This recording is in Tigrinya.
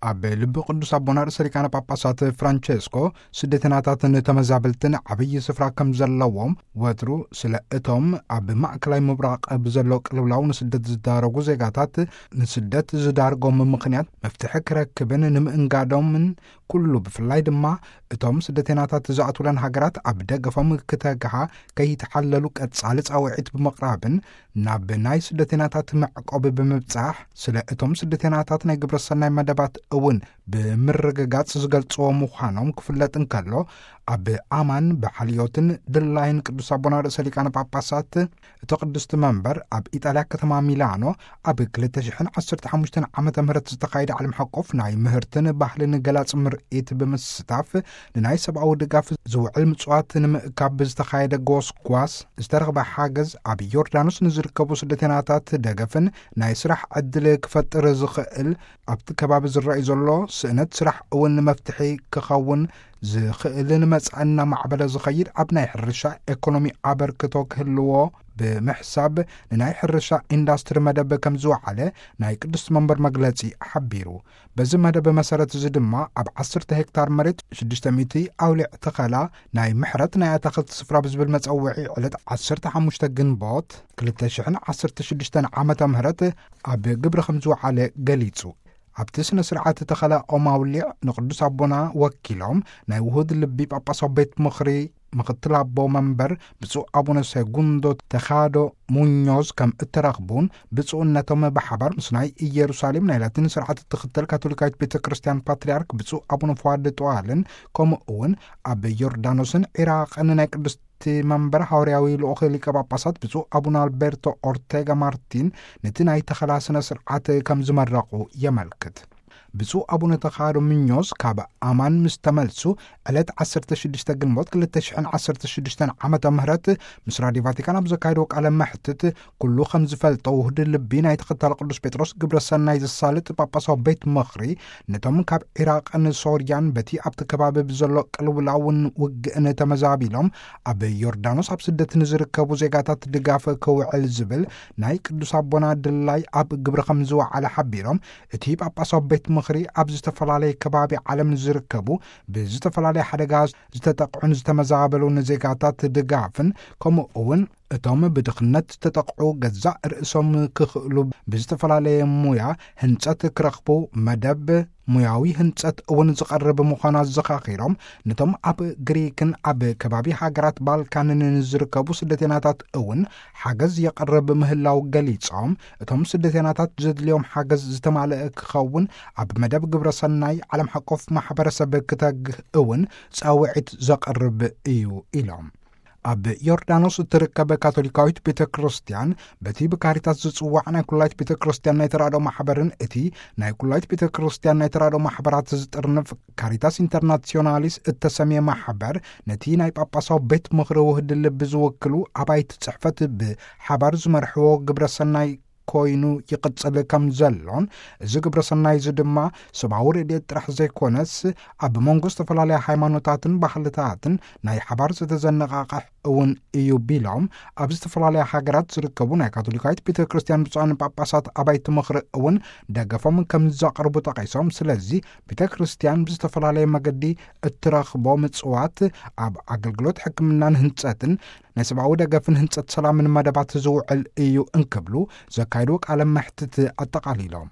ኣብ ልቢ ቅዱስ ኣቦና ርእሰ ሊቃነ ጳጳሳት ፍራንቸስኮ፣ ስደተናታትን ተመዛበልትን ዓብዪ ስፍራ ከም ዘለዎም፣ ወትሩ ስለ እቶም ኣብ ማእከላይ ምብራቕ ብዘሎ ቅልውላው ንስደት ዝዳረጉ ዜጋታት፣ ንስደት ዝዳርጎም ምኽንያት መፍትሒ ክረክብን ንምእንጋዶምን ኩሉ፣ ብፍላይ ድማ እቶም ስደተናታት ዝኣትውለን ሃገራት ኣብ ደገፎም ክተግሃ ከይተሓለሉ ቀጻሊ ጻውዒት ብምቕራብን፣ ናብ ናይ ስደተናታት መዕቆቢ ብምብጻሕ፣ ስለ እቶም ስደተናታት ናይ ግብረ ሰናይ መደባት እውን ብምርግጋጽ ዝገልጽዎ ምዃኖም ክፍለጥ እንከሎ፣ ኣብ ኣማን ብሓልዮትን ድላይን ቅዱስ ኣቦና ርእሰ ሊቃነ ጳጳሳት እቲ ቅድስቲ መንበር ኣብ ኢጣልያ ከተማ ሚላኖ ኣብ ክልተ ሽሕን ዓሰርተ ሓሙሽተን ዓመተ ምህረት ዝተኻየደ ዓለም ሓቆፍ ናይ ምህርትን ባህልን ገላጽ ምርኢት ብምስታፍ፣ ንናይ ሰብኣዊ ድጋፍ ዝውዕል ምጽዋት ንምእካብ ብዝተኻየደ ጎስጓስ ዝተረኽበ ሓገዝ፣ ኣብ ዮርዳኖስ ንዝርከቡ ስደተናታት ደገፍን ናይ ስራሕ ዕድል ክፈጥር ዝኽእል፣ ኣብቲ ከባቢ ዝረኣይ ዘሎ ስእነት ስራሕ እውን መፍትሒ ክኸውን ዝኽእልን መጻኢ እናማዕበለ ዝኸይድ ኣብ ናይ ሕርሻ ኤኮኖሚ ኣበርክቶ ክህልዎ ብምሕሳብ፣ ንናይ ሕርሻ ኢንዳስትሪ መደብ ከም ዝወዓለ ናይ ቅዱስ መንበር መግለጺ ሓቢሩ። በዚ መደብ መሰረት እዚ ድማ ኣብ ዓሰርተ ሄክታር መሬት ሽዱሽተ ሚእቲ ኣውሊዕ ተኸላ ናይ ምሕረት ናይ ኣታኽልቲ ስፍራ ብዝብል መጸውዒ ዕለት ዓሰርተ ሓሙሽተ ግንቦት ክልተ ሽሕን ዓሰርተ ሽዱሽተን ዓመተ ምህረት ኣብ ግብሪ ከም ዝወዓለ ገሊጹ። ኣብቲ ስነ ስርዓት ተኸላ ኦም ኣውሊዕ ንቅዱስ ኣቦና ወኪሎም ናይ ውሁድ ልቢ ጳጳሳዊ ቤት ምኽሪ ምኽትል ኣቦ መንበር ብፁዕ ኣቡነ ሴጉንዶ ተኻዶ ሙኞዝ ከም እተረኽቡን፣ ብፁዕነቶም ብሓባር ምስ ናይ ኢየሩሳሌም ናይ ላቲን ስርዓት እትኽተል ካቶሊካዊት ቤተ ክርስቲያን ፓትርያርክ ብፁዕ ኣቡነ ፍዋድ ጦዋልን፣ ከምኡ እውን ኣብ ዮርዳኖስን ዒራቕን ናይ ቅድስቲ መንበር ሃዋርያዊ ልኡኽ ሊቀ ጳጳሳት ብፁዕ ኣቡነ ኣልቤርቶ ኦርቴጋ ማርቲን ነቲ ናይ ተኸላ ስነ ስርዓት ከም ዝመረቑ የመልክት። ብፁዕ ኣቡነ ተኻዶ ምኞስ ካብ ኣማን ምስ ተመልሱ፣ ዕለት ዓሰርተ ሽዱሽተ ግንቦት ክልተ ሽሕን ዓሰርተ ሽዱሽተን ዓመተ ምህረት ምስ ራድዮ ቫቲካን ኣብ ዘካየድዎ ቃለ መሕትት፣ ኩሉ ከም ዝፈልጦ ውህድ ልቢ ናይ ተኸታሊ ቅዱስ ጴጥሮስ ግብረ ሰናይ ዘሳልጥ ጳጳሳዊ ቤት ምኽሪ፣ ነቶም ካብ ዒራቕን ሶርያን በቲ ኣብቲ ከባቢ ብዘሎ ቅልውላውን ውግእን ተመዛቢሎም ኣብ ዮርዳኖስ ኣብ ስደት ንዝርከቡ ዜጋታት ድጋፍ ክውዕል ዝብል ናይ ቅዱስ ኣቦና ድላይ ኣብ ግብሪ ከም ዝወዓለ ሓቢሮም፣ እቲ ጳጳሳዊ ቤት ምኽሪ ኣብ ዝተፈላለየ ከባቢ ዓለም ንዝርከቡ ብዝተፈላለየ ሓደጋ ዝተጠቕዑን ዝተመዛበሉን ዜጋታት ድጋፍን፣ ከምኡ እውን እቶም ብድኽነት ዝተጠቕዑ ገዛእ ርእሶም ክኽእሉ ብዝተፈላለየ ሙያ ህንጸት ክረኽቡ መደብ ሙያዊ ህንጸት እውን ዝቐርብ ምዃኑ ኣዘኻኺሮም፣ ነቶም ኣብ ግሪክን ኣብ ከባቢ ሃገራት ባልካንን ንዝርከቡ ስደተናታት እውን ሓገዝ የቐርብ ምህላው ገሊጾም፣ እቶም ስደተናታት ዘድልዮም ሓገዝ ዝተማልአ ክኸውን ኣብ መደብ ግብረ ሰናይ ዓለም ሓቆፍ ማሕበረሰብ ክተግህ እውን ጻውዒት ዘቐርብ እዩ ኢሎም። ኣብ ዮርዳኖስ እትርከብ ካቶሊካዊት ቤተ ክርስቲያን በቲ ብካሪታስ ዝጽዋዕ ናይ ኩላይት ቤተ ክርስቲያን ናይ ተራድኦ ማሕበርን እቲ ናይ ኩላይት ቤተ ክርስቲያን ናይ ተራድኦ ማሕበራት ዝጥርንፍ ካሪታስ ኢንተርናሲዮናሊስ እተሰምየ ማሕበር ነቲ ናይ ጳጳሳዊ ቤት ምኽሪ ውህድ ልቢ ዝውክሉ ኣባይቲ ጽሕፈት ብሓባር ዝመርሕዎ ግብረ ሰናይ ኮይኑ ይቕጽል ከም ዘሎን፣ እዚ ግብረ ሰናይ እዚ ድማ ሰብኣዊ ረድኤት ጥራሕ ዘይኮነስ ኣብ መንጎ ዝተፈላለያ ሃይማኖታትን ባህልታትን ናይ ሓባር ዝተዘነቓቕሕ እውን እዩ ቢሎም፣ ኣብ ዝተፈላለያ ሃገራት ዝርከቡ ናይ ካቶሊካዊት ቤተ ክርስቲያን ብፁዓን ጳጳሳት ኣባይቲ ምኽሪ እውን ደገፎም ከም ዘቕርቡ ጠቒሶም፣ ስለዚ ቤተ ክርስቲያን ብዝተፈላለየ መገዲ እትረኽቦ ምጽዋት ኣብ ኣገልግሎት ሕክምናን ህንጸትን ናይ ሰብኣዊ ደገፍን ህንጸት ሰላምን መደባት ዝውዕል እዩ እንክብሉ ዘካየድዎ ቃለ መሕትት ኣጠቓሊሎም።